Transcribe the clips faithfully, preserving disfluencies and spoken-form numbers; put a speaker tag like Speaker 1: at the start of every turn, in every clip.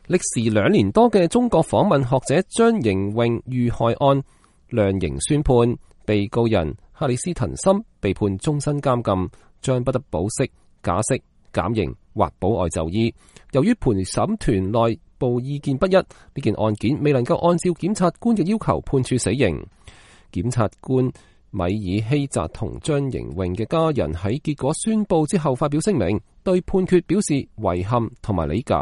Speaker 1: 歷時兩年多嘅中國訪問學者張瑩穎遇害案量刑宣判，被告人克里斯滕森被判終身監禁，將不得保釋、假釋、減刑或保外就醫。由於陪審團內部意見不一，呢件案件未能夠按照檢察官嘅要求判處死刑。檢察官米爾希澤同張瑩穎嘅家人喺結果宣佈之後發表聲明，對判決表示遺憾同埋理解。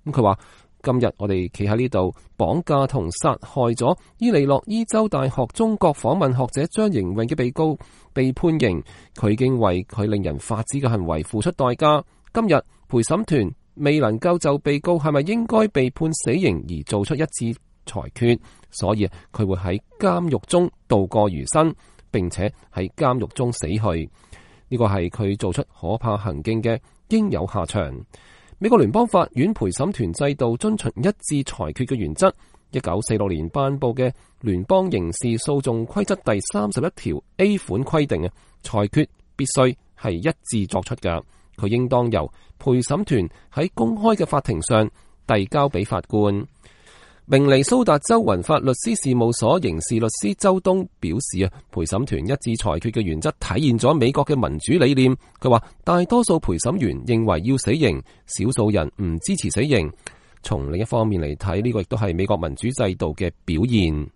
Speaker 1: 咁佢話：今日我哋企喺呢度，綁架同殺害咗伊利諾伊州大學中國訪問學者張瑩穎嘅被告被判刑，佢已經為佢令人髮指嘅行為付出代價。今日陪審團未能夠就被告係咪應該被判死刑而做出一致裁決，所以佢會喺監獄中度過餘生，並且喺監獄中死去。呢個係佢做出可怕行徑嘅應有下場。美國聯邦法院陪審團制度遵循一致裁決嘅原則，一九四六年頒布嘅聯邦刑事訴訟規則第三十一條 A 款規定啊，裁決必須係一致作出㗎，佢應當由陪審團喺公開嘅法庭上遞交俾法官。明尼蘇達州雲法律師事務所刑事律師周東表示啊，陪審團一致裁決嘅原則體現咗美國嘅民主理念。佢話大多數陪審員認為要死刑，少數人唔支持死刑。從另一方面嚟睇，呢個亦都係美國民主制度嘅表現。